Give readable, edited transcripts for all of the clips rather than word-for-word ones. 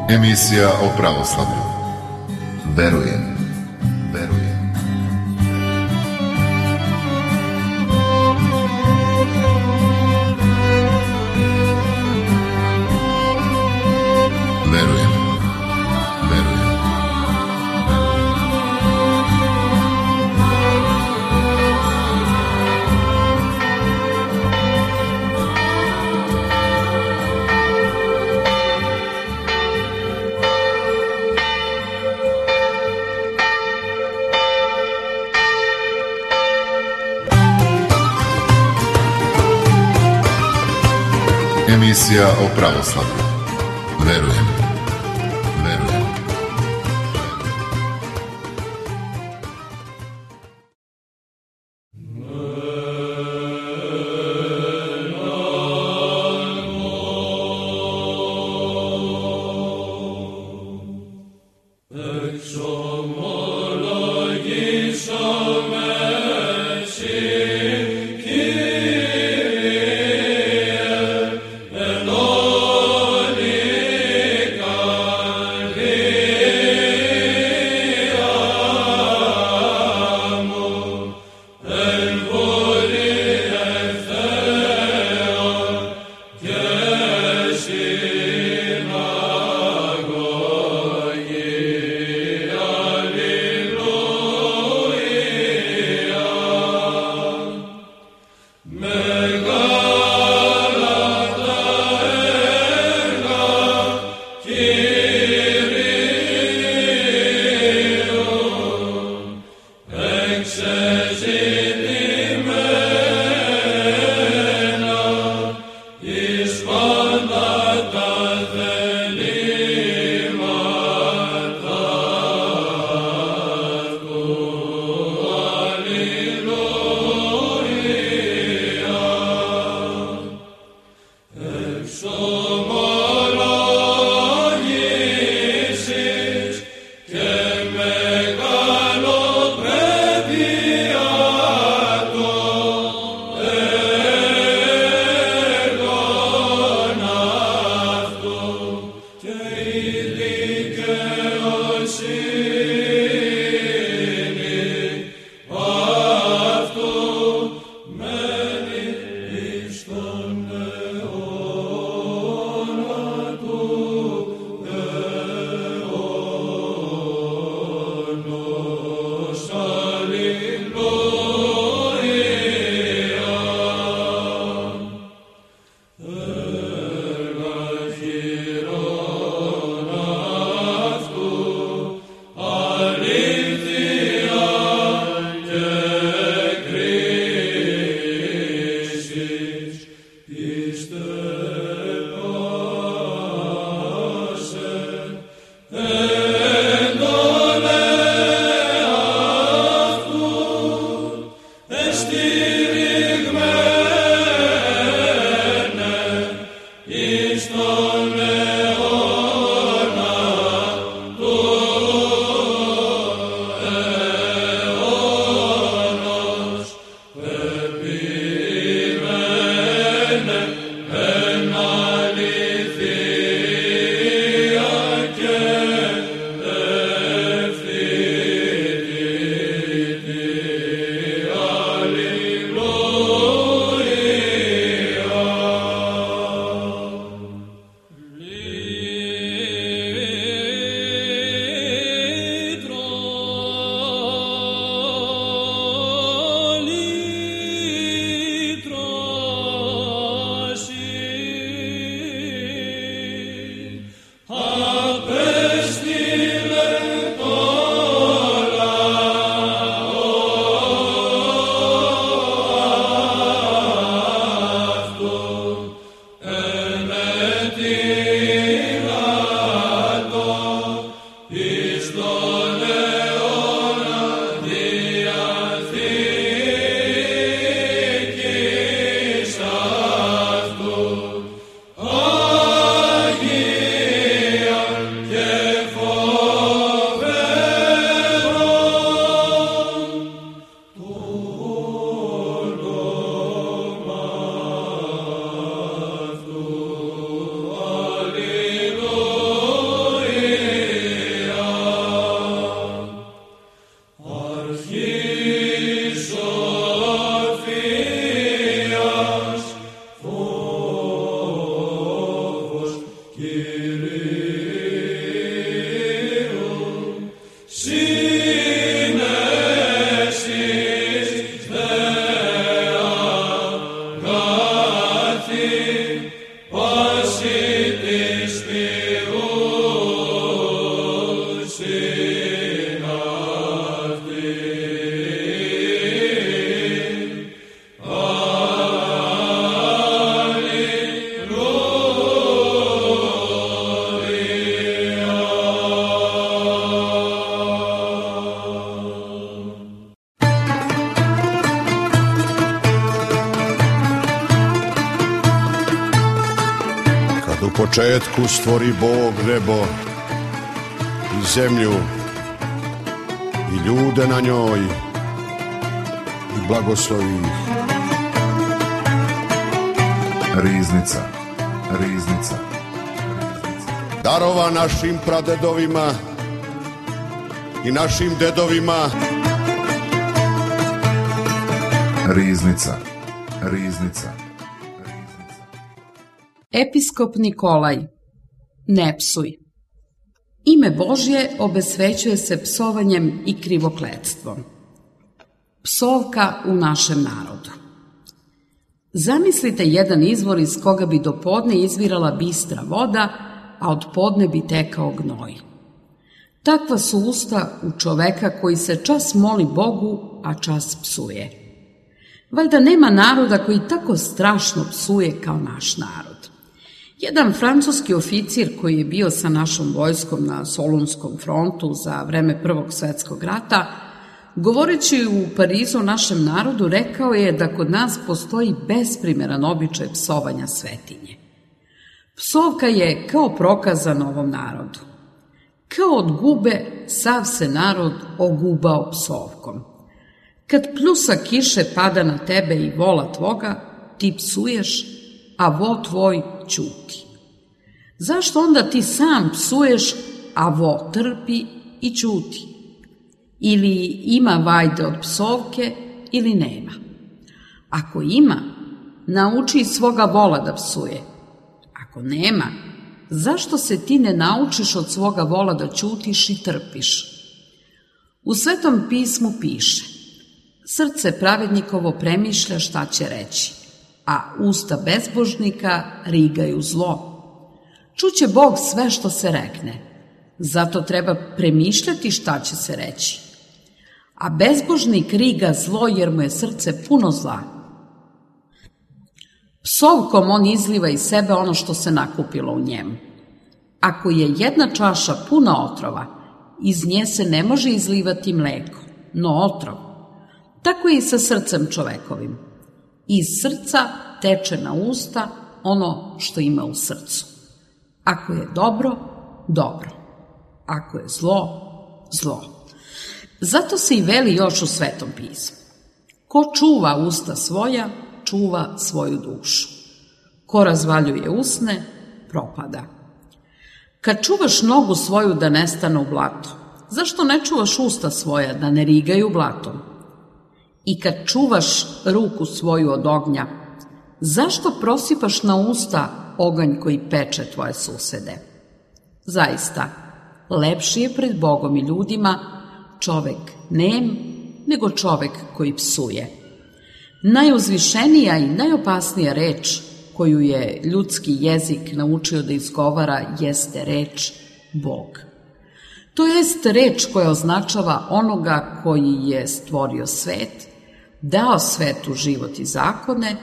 Emisija o pravoslavlju. Verujem. Emisija o pravoslavlju. Verujem. Lord, početku stvori Bog nebo i zemlju i ljude na njoj i blagoslovi ih. Riznica, riznica. Darova našim pradedovima i našim dedovima. Riznica, riznica. Episkop Nikolaj. Ne psuj. Ime Božje obesvećuje se psovanjem i krivokletstvom. Psovka u našem narodu. Zamislite jedan izvor iz koga bi do podne izvirala bistra voda, a od podne bi tekao gnoj. Takva su usta u čoveka koji se čas moli Bogu, a čas psuje. Valjda nema naroda koji tako strašno psuje kao naš narod. Jedan francuski oficir koji je bio sa našom vojskom na Solunskom frontu za vreme Prvog svetskog rata, govoreći u Parizu o našem narodu, rekao je da kod nas postoji besprimeran običaj psovanja svetinje. Psovka je kao prokazana ovom narodu. Kao od gube sav se narod ogubao psovkom. Kad pljusa kiše pada na tebe i vola tvoga, ti psuješ, a vo tvoj ćuti. Zašto onda ti sam psuješ, a vo trpi i ćuti? Ili ima vajde od psovke ili nema. Ako ima, nauči svoga vola da psuje. Ako nema, zašto se ti ne naučiš od svoga vola da ćutiš i trpiš? U Svetom pismu piše: srce pravednikovo premišlja šta će reći, a usta bezbožnika rigaju zlo. Čuće Bog sve što se rekne, zato treba premišljati šta će se reći. A bezbožnik riga zlo jer mu je srce puno zla. Psovkom on izliva iz sebe ono što se nakupilo u njemu. Ako je jedna čaša puna otrova, iz nje se ne može izlivati mleko, no otrov. Tako je i sa srcem čovekovim. Iz srca teče na usta ono što ima u srcu. Ako je dobro, dobro. Ako je zlo, zlo. Zato se i veli još u Svetom pismu: ko čuva usta svoja, čuva svoju dušu. Ko razvaljuje usne, propada. Kad čuvaš nogu svoju da ne stane u blato, zašto ne čuvaš usta svoja da ne rigaju blatom? I kad čuvaš ruku svoju od ognja, zašto prosipaš na usta oganj koji peče tvoje susede? Zaista, lepši je pred Bogom i ljudima čovek nem nego čovek koji psuje. Najuzvišenija i najopasnija reč koju je ljudski jezik naučio da izgovara jeste reč Bog. To jest reč koja označava onoga koji je stvorio svet, dao svetu život i zakone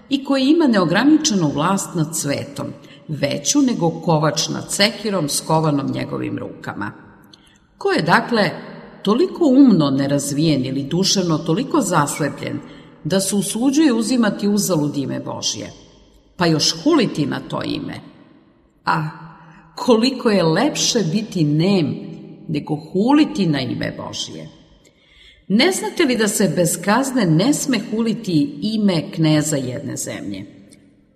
i koji ima neograničenu vlast nad svetom, veću nego kovač nad sekirom skovanom njegovim rukama. Ko je, dakle, toliko umno nerazvijen ili duševno toliko zaslepljen da se usuđuje uzimati uzalud ime Božje, pa još huliti na to ime? A koliko je lepše biti nem nego huliti na ime Božje. Ne znate li da se bez kazne ne sme huliti ime kneza jedne zemlje?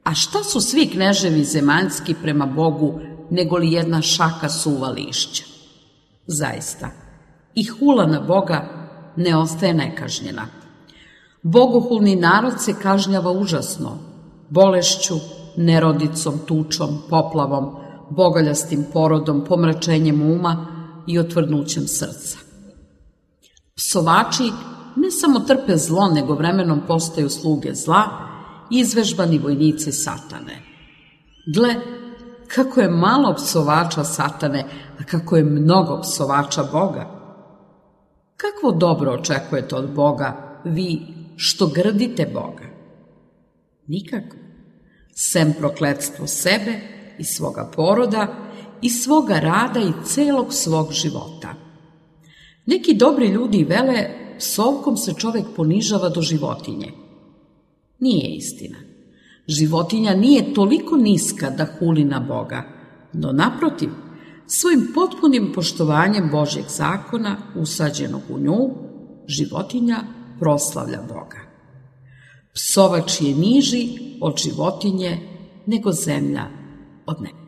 A šta su svi kneževi zemaljski prema Bogu nego li jedna šaka suva lišća? Zaista, i hula na Boga ne ostaje nekažnjena. Bogohulni narod se kažnjava užasno, bolešću, nerodicom, tučom, poplavom, bogoljastim porodom, pomračenjem uma i otvrdnućem srca. Psovači ne samo trpe zlo, nego vremenom postaju sluge zla i izvežbani vojnici satane. Gle, kako je malo psovača satane, a kako je mnogo psovača Boga. Kakvo dobro očekujete od Boga, vi što grdite Boga? Nikako. Sem prokletstvo sebe i svoga poroda i svoga rada i celog svog života. Neki dobri ljudi vele, psovkom se čovek ponižava do životinje. Nije istina. Životinja nije toliko niska da huli na Boga, no naprotiv, svojim potpunim poštovanjem Božjeg zakona usađenog u nju, životinja proslavlja Boga. Psovač je niži od životinje nego zemlja od neba.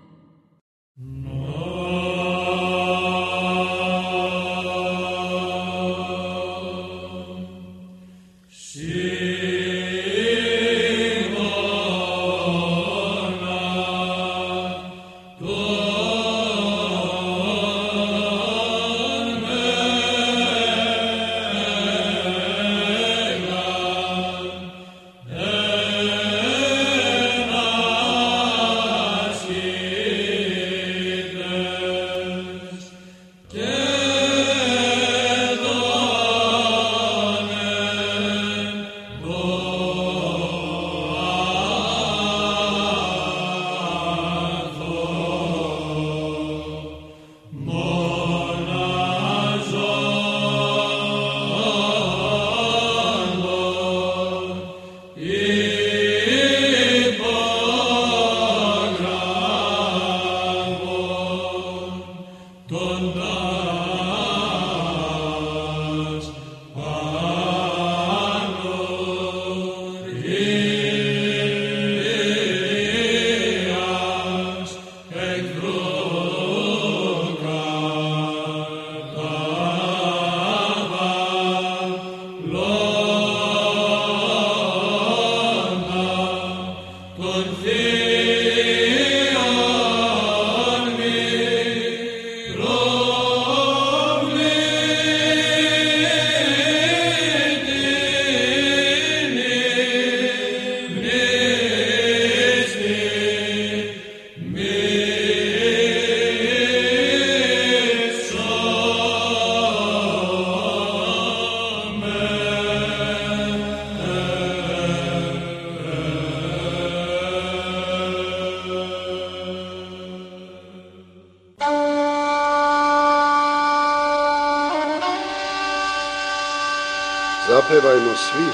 Zapevajmo svi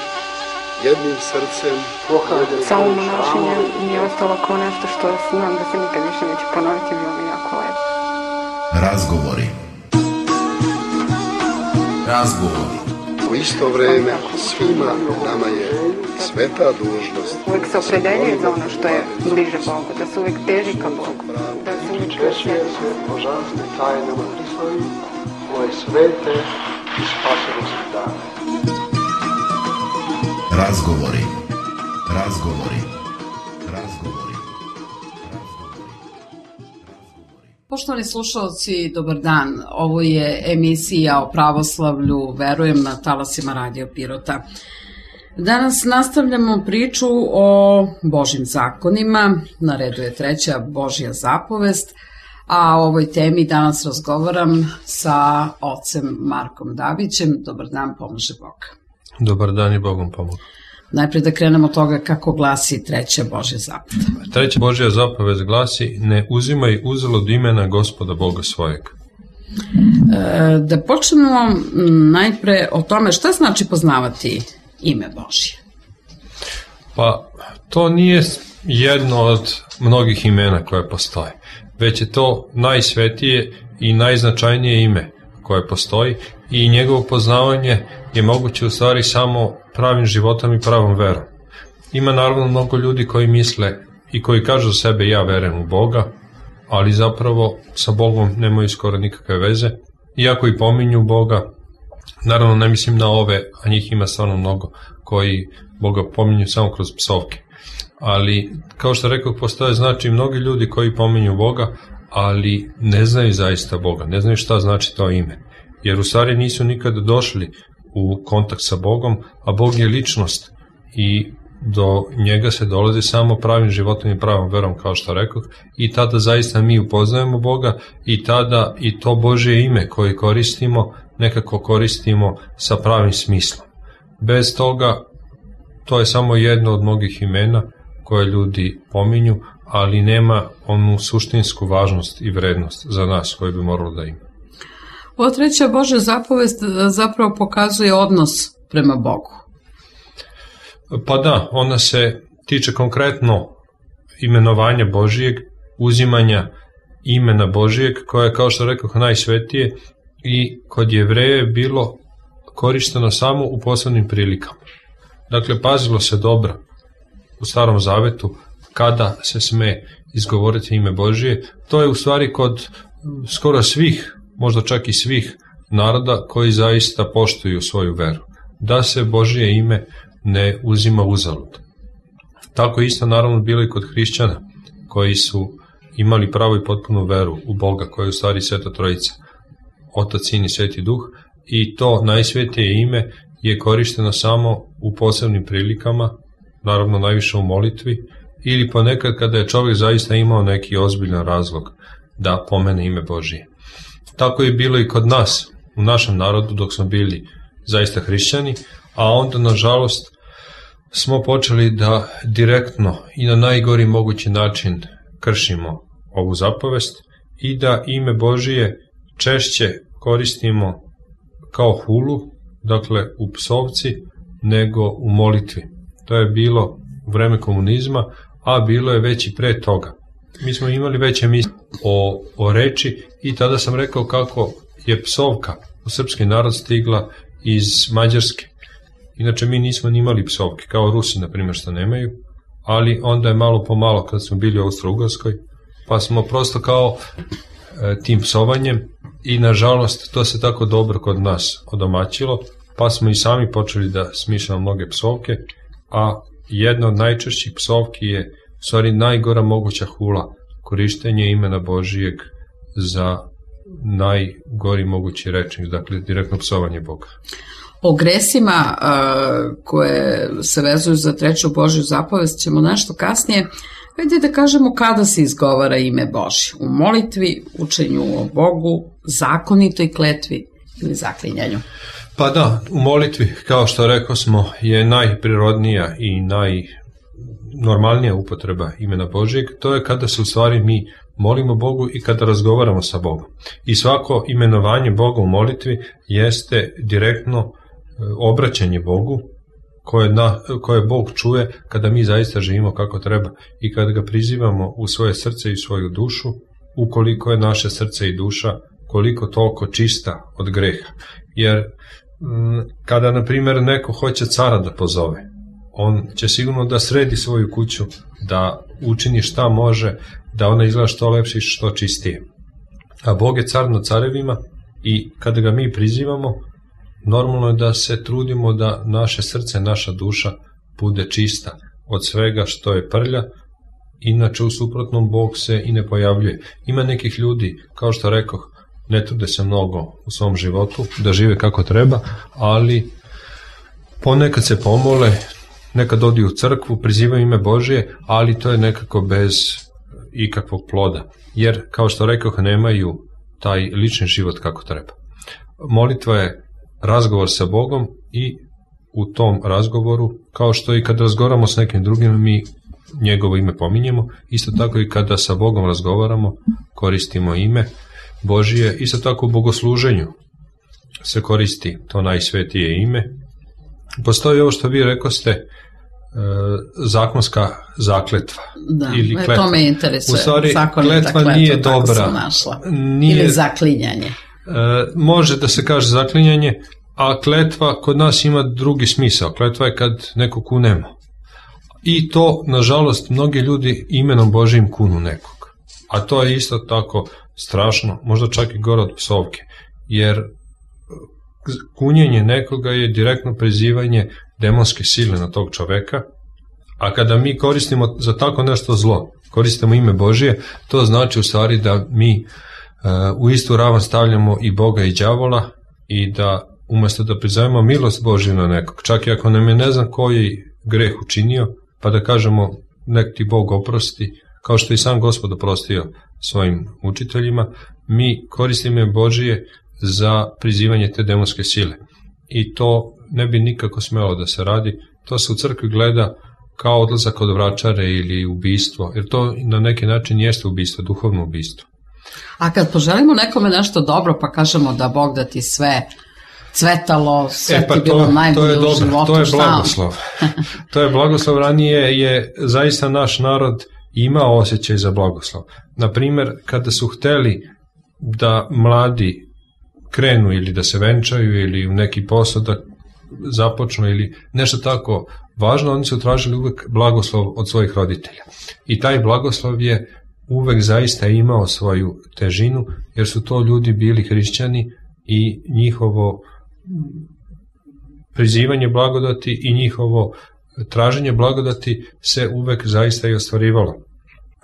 jednim srcem. Samo monašenje mi je ostalo kao nešto što znam da se nikad više neće ponoviti, bilo mi jako lepo. Razgovori. U isto vreme svima nama je sveta dužnost. Uvijek se opredeljuje za ono što je bliže Bogu, da se uvijek teži ka Bogu, da se uvijek Češuje se božanstvim tajnama Hristovim, ove svete i spasonosne dane. Razgovori. Poštovani slušalci, dobar dan. Ovo je emisija o pravoslavlju, verujem, na talasima Radio Pirota. Danas nastavljamo priču o Božjim zakonima. Na redu je 3. Božja zapovest, a o ovoj temi danas razgovaram sa ocem Markom Dabićem. Dobar dan, pomaže Bog. Dobar dan i Bogom pomogu. Najprije da krenemo od toga kako glasi 3. Božja zapovest. 3. Božja zapovest glasi: ne uzimaj uzalud imena Gospoda Boga svojeg. Da počnemo najpre o tome šta znači poznavati ime Božje. Pa to nije jedno od mnogih imena koje postoje, već je to najsvetije i najznačajnije ime koje postoji i njegovo poznavanje je moguće u stvari samo pravim životom i pravom verom. Ima naravno mnogo ljudi koji misle i koji kažu sebe ja verujem u Boga, ali zapravo sa Bogom nemaju skoro nikakve veze, iako i pominju Boga. Naravno ne mislim na ove, a njih ima stvarno mnogo, koji Boga pominju samo kroz psovke. Ali kao što rekao, postoje znači mnogi ljudi koji pominju Boga, ali ne znaju zaista Boga, ne znaju šta znači to ime. Jer u stvari nisu nikada došli u kontakt sa Bogom, a Bog je ličnost i do njega se dolazi samo pravim životom i pravom verom, kao što rekao, i tada zaista mi upoznajemo Boga i tada i to Božje ime koje koristimo, nekako koristimo sa pravim smislom. Bez toga, to je samo jedno od mnogih imena koje ljudi pominju, ali nema onu suštinsku važnost i vrednost za nas koju bi moralo da ima. Ova 3. Božja zapovest zapravo pokazuje odnos prema Bogu. Pa da, ona se tiče konkretno imenovanja Božijeg, uzimanja imena Božijeg, koje je, kao što rekao, najsvetije i kod Jevreja je bilo korišteno samo u posebnim prilikama. Dakle, pazilo se dobro u Starom Zavetu kada se sme izgovoriti ime Božije. To je u stvari kod skoro svih, možda čak i svih naroda koji zaista poštuju svoju veru, da se Božije ime ne uzima uzalud. Tako isto naravno bilo i kod hrišćana koji su imali pravu i potpunu veru u Boga, koja je u stvari Sveta Trojica, Otac, Sin i Sveti Duh, i to najsvetije ime je korišteno samo u posebnim prilikama, naravno najviše u molitvi, ili ponekad kada je čovjek zaista imao neki ozbiljan razlog da pomene ime Božije. Tako je bilo i kod nas, u našem narodu, dok smo bili zaista hrišćani, a onda, nažalost, smo počeli da direktno i na najgori mogući način kršimo ovu zapovest i da ime Božije češće koristimo kao hulu, dakle u psovci, nego u molitvi. To je bilo u vreme komunizma, a bilo je već i pre toga. Mi smo imali već emisije o reči i tada sam rekao kako je psovka u srpski narod stigla iz Mađarske. Inače, mi nismo ni imali psovke, kao Rusi, na primjer, što nemaju, ali onda je malo po malo, kad smo bili u Austro-Ugarskoj, pa smo prosto kao tim psovanjem, i nažalost to se tako dobro kod nas odomaćilo, pa smo i sami počeli da smišljamo mnoge psovke, a jedna od najčešćih psovki je u stvari najgora moguća hula, korištenje imena Božijeg za najgori mogući rečnik, dakle direktno psovanje Boga. O gresima koje se vezuju za treću Božju zapovest ćemo nešto kasnije. Hajde da kažemo kada se izgovara ime Božje. U molitvi, učenju o Bogu, zakonitoj kletvi ili zaklinjanju. Pa da, u molitvi, kao što rekao smo, je najprirodnija i najnormalnija upotreba imena Božjeg. To je kada se u stvari mi molimo Bogu i kada razgovaramo sa Bogom. I svako imenovanje Boga u molitvi jeste direktno obraćanje Bogu, koje Bog čuje kada mi zaista živimo kako treba i kada ga prizivamo u svoje srce i svoju dušu, ukoliko je naše srce i duša koliko toliko čista od greha. Jer kada, na primjer, neko hoće cara da pozove, on će sigurno da sredi svoju kuću, da učini šta može, da ona izgleda što lepše i što čistije. A Bog je car nad carevima i kada ga mi prizivamo, normalno je da se trudimo da naše srce, naša duša bude čista od svega što je prlja, inače u suprotnom Bog se i ne pojavljuje. Ima nekih ljudi, kao što rekoh, ne trude se mnogo u svom životu da žive kako treba, ali ponekad se pomole, nekad odi u crkvu, prizivaju ime Božije, ali to je nekako bez ikakvog ploda, jer, kao što rekoh, nemaju taj lični život kako treba. Molitva je razgovor sa Bogom i u tom razgovoru, kao što i kad razgovaramo s nekim drugim, mi njegovo ime pominjemo, isto tako i kada sa Bogom razgovaramo, koristimo ime Božije, isto tako u bogosluženju se koristi to najsvetije ime. Postoji ovo što vi rekoste, zakonska zakletva. Da, ili kletva. To me interesuje. U stvari, kletva nije dobra. Ili zaklinjanje. Može da se kaže zaklinjanje, a kletva kod nas ima drugi smisao. Kletva je kad neko kunemo. I to, nažalost, mnogi ljudi imenom Božijim kunu nekog. A to je isto tako strašno, možda čak i gore od psovke, jer kunjenje nekoga je direktno prizivanje demonske sile na tog čoveka, a kada mi koristimo za tako nešto zlo, koristimo ime Božije, to znači u stvari da mi u istu ravan stavljamo i Boga i đavola i da umjesto da prizovemo milost Božju na nekog, čak i ako nam je ne znam koji greh učinio, pa da kažemo nek ti Bog oprosti, kao što i sam Gospod oprostio svojim učiteljima, mi koristimo ime Božije za prizivanje te demonske sile. I to ne bi nikako smelo da se radi, to se u crkvi gleda kao odlazak od vračare ili ubistvo, jer to na neki način jeste ubistvo, duhovno ubistvo. A kad poželimo nekome nešto dobro, pa kažemo da Bog da ti sve cvetalo, sve ti bilo najbolje u životu. To je blagoslov. To je blagoslov. Ranije je zaista naš narod imao osjećaj za blagoslov. Naprimer, kada su hteli da mladi krenu ili da se venčaju ili u neki posao da započnu ili nešto tako važno, oni su tražili uvek blagoslov od svojih roditelja. I taj blagoslov je uvek zaista imao svoju težinu, jer su to ljudi bili hrišćani i njihovo prizivanje blagodati i njihovo traženje blagodati se uvek zaista i ostvarivalo.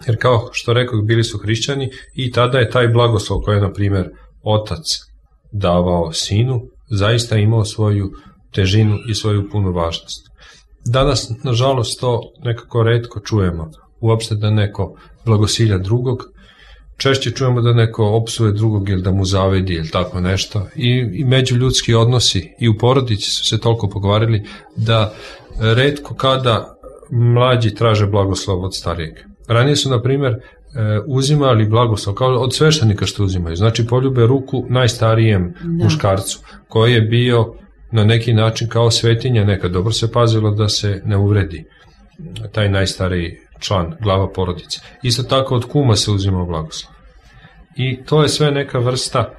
Jer kao što rekao, bili su hrišćani i tada je taj blagoslov koji je, na primjer, otac davao sinu, zaista imao svoju težinu i svoju punu važnost. Danas, nažalost, to nekako retko čujemo, uopšte da neko blagosilja drugog, češće čujemo da neko opsuje drugog ili da mu zavidi ili tako nešto. I međuljudski odnosi i u porodici su se toliko pokvarili da retko kada mlađi traže blagoslov od starijeg. Ranije su, na primjer, uzimali blagoslov kao od sveštenika što uzimaju. Znači, poljube ruku najstarijem muškarcu, koji je bio na neki način kao svetinja nekad. Dobro se pazilo da se ne uvredi taj najstariji član, glava porodice. Isto tako od kuma se uzimao blagoslov. I to je sve neka vrsta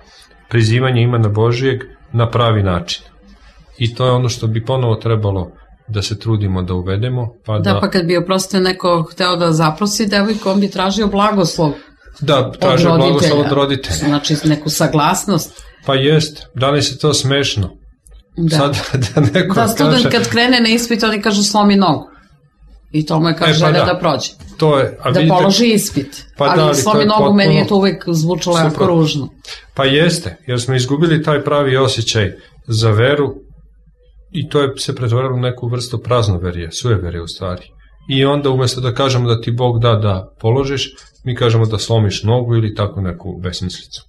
prizivanja imena Božijeg na pravi način. I to je ono što bi ponovo trebalo da se trudimo da uvedemo. Pa kad bi oprostio neko hteo da zaprosi devojku, on bi tražio blagoslov. Da, tražio blagoslov od roditelja. Znači neku saglasnost. Pa jest, danas je to smešno. Da, sad, da neko student kaže, kad krene na ispit, oni kažu slomi nogu. I to mu je kao želja da prođe. To je, da vidite, položi ispit. Ali slomi nogu, potpuno, meni je to uvek zvučalo jako ružno. Pa jeste, jer smo izgubili taj pravi osjećaj za veru i to je se pretvorilo u neku vrstu praznoverije, sujeverije u stvari. I onda umjesto da kažemo da ti Bog da položiš, mi kažemo da slomiš nogu ili tako neku besmislicu.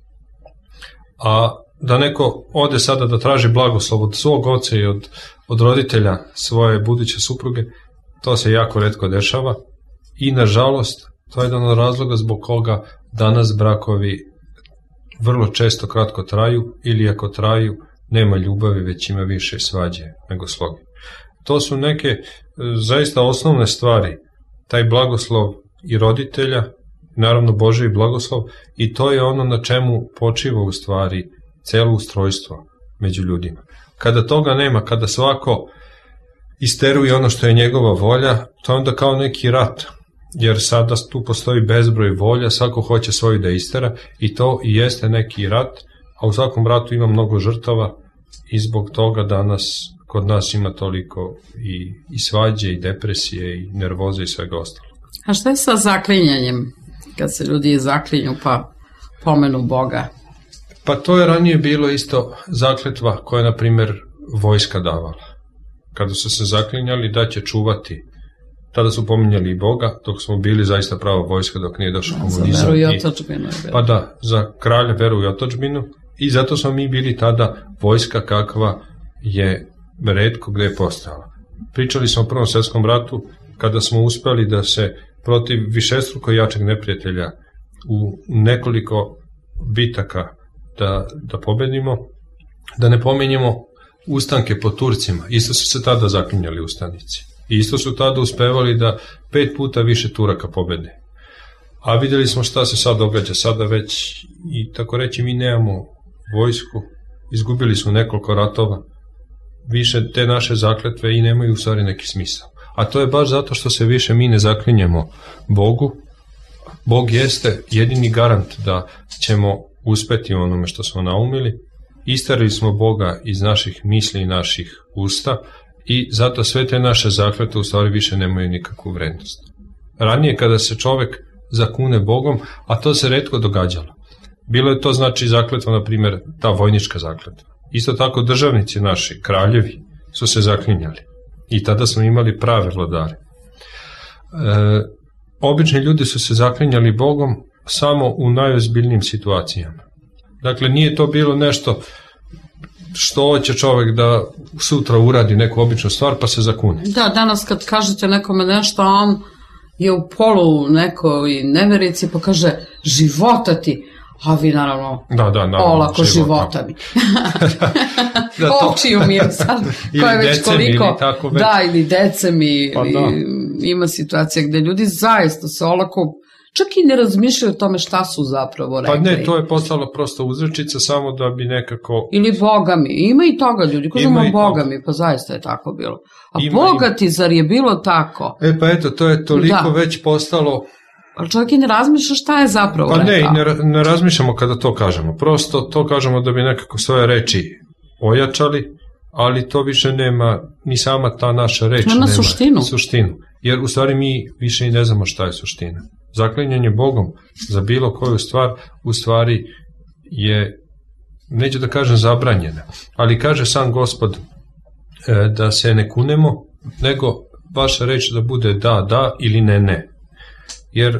A da neko ode sada da traži blagoslov od svog oca i od roditelja svoje buduće supruge, to se jako retko dešava i nažalost to je jedan od razloga zbog koga danas brakovi vrlo često kratko traju ili ako traju nema ljubavi, već ima više svađe nego sloge. To su neke zaista osnovne stvari, taj blagoslov i roditelja, naravno Božji blagoslov, i to je ono na čemu počiva u stvari celo ustrojstvo među ljudima. Kada toga nema, kada svako isteruje ono što je njegova volja, to je onda kao neki rat, jer sada tu postoji bezbroj volja, svako hoće svoju da istera i to i jeste neki rat, a u svakom ratu ima mnogo žrtava i zbog toga danas kod nas ima toliko i svađe i depresije i nervoze i svega ostalo. A šta je sa zaklinjanjem? Kad se ljudi zaklinju pa pomenu Boga? Pa to je ranije bilo isto zakletva koja je, na primjer, vojska davala. Kada su se zaklinjali da će čuvati, tada su pominjali i Boga, dok smo bili zaista prava vojska, dok nije došao komunizam. Za veru i otadžbinu. Pa da, za kralja, veru i otadžbinu. I zato smo mi bili tada vojska kakva je retko gde je postojala. Pričali smo o Prvom svjetskom ratu, kada smo uspeli da se protiv višestruko jačeg neprijatelja u nekoliko bitaka da pobedimo, da ne pominjemo ustanke po Turcima. Isto su se tada zaklinjali ustanici. I isto su tada uspevali da 5 puta više Turaka pobede. A vidjeli smo šta se sad događa. Sada već, i tako reći, mi nemamo vojsku, izgubili smo nekoliko ratova, više te naše zakletve i nemaju u stvari neki smisao. A to je baš zato što se više mi ne zaklinjemo Bogu. Bog jeste jedini garant da ćemo uspeti u onome što smo naumili. Isterili smo Boga iz naših misli i naših usta i zato sve te naše zakletve u stvari više nemaju nikakvu vrednost. Ranije kada se čovek zakune Bogom, a to se retko događalo. Bilo je to znači zakletva, na primjer, ta vojnička zakletva. Isto tako državnici naši, kraljevi, su se zaklinjali. I tada smo imali prave vladare. Obični ljudi su se zaklinjali Bogom samo u najozbiljnijim situacijama. Dakle, nije to bilo nešto što hoće čovjek da sutra uradi neku običnu stvar pa se zakune. Da, danas kad kažete nekome nešto, on je u polu nekoj neverici pa kaže života ti, a vi naravno olako života mi. Očiju mi je sad, koja je već koliko, ili decem, ima situacija gde ljudi zaista se olako, čak i ne razmišljaju o tome šta su zapravo rekli. Pa ne, to je postalo prosto uzrečica samo da bi nekako... Ili bogami, ima i toga ljudi, kažemo bogami, pa zaista je tako bilo. A bogati, zar je bilo tako? Pa eto, to je toliko već postalo... Ali čovjek i ne razmišlja šta je zapravo rekao. Pa ne razmišljamo kada to kažemo, prosto to kažemo da bi nekako svoje reči ojačali, ali to više nema, ni sama ta naša reč nema suštinu. Jer u stvari mi više i ne znamo šta je suština. Zaklinjanje Bogom za bilo koju stvar u stvari je, neću da kažem zabranjena, ali kaže sam Gospod da se ne kunemo, nego vaša reč da bude da ili ne. Jer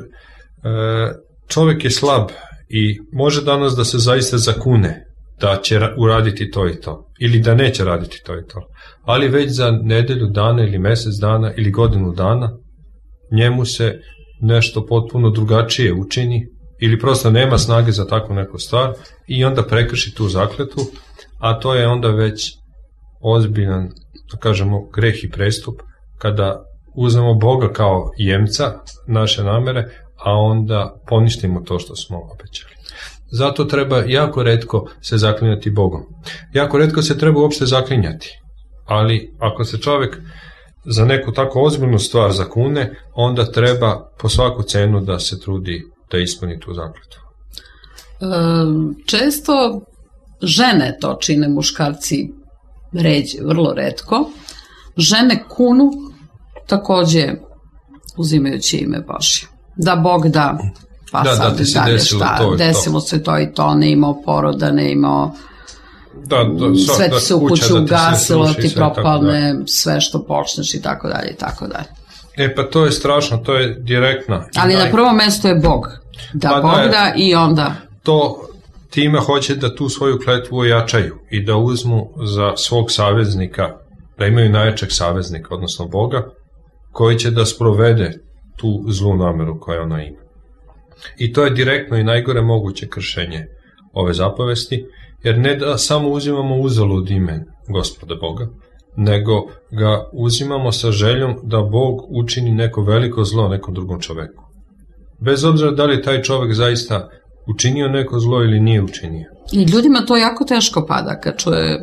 čovjek je slab i može danas da se zaista zakune da će uraditi to i to, ili da neće raditi to i to. Ali već za nedelju dana ili mjesec dana ili godinu dana njemu se nešto potpuno drugačije učini ili prosto nema snage za takvu neku stvar i onda prekrši tu zakletvu, a to je onda već ozbiljan, da kažemo, greh i prestup kada uzmemo Boga kao jemca naše namere, a onda poništimo to što smo obećali. Zato treba jako retko se zaklinjati Bogom. Jako retko se treba uopšte zaklinjati, ali ako se čovjek za neku tako ozbiljnu stvar zakune, onda treba po svaku cenu da se trudi da ispuni tu zakletvu. Često žene to čine, muškarci ređe, vrlo retko. Žene kunu takođe uzimajući ime Božje. Da Bog da, pa sad dalje šta, desilo se to i to, ne imao poroda, ne imao sve ti se u kuću ugasilo, ti propalne sve što počneš i tako dalje i tako dalje. Pa to je strašno, to je direktna. Ali na prvom mestu je Bog. Da Bog da i onda... To time hoće da tu svoju kletvu ojačaju i da uzmu za svog saveznika, da imaju najjačeg saveznika, odnosno Boga, koji će da sprovede tu zlu nameru koju ona ima. I to je direktno i najgore moguće kršenje ove zapovesti, jer ne da samo uzimamo uzalud ime Gospoda Boga, nego ga uzimamo sa željom da Bog učini neko veliko zlo nekom drugom čoveku. Bez obzira da li taj čovek zaista učinio neko zlo ili nije učinio. I ljudima to jako teško pada kad čuje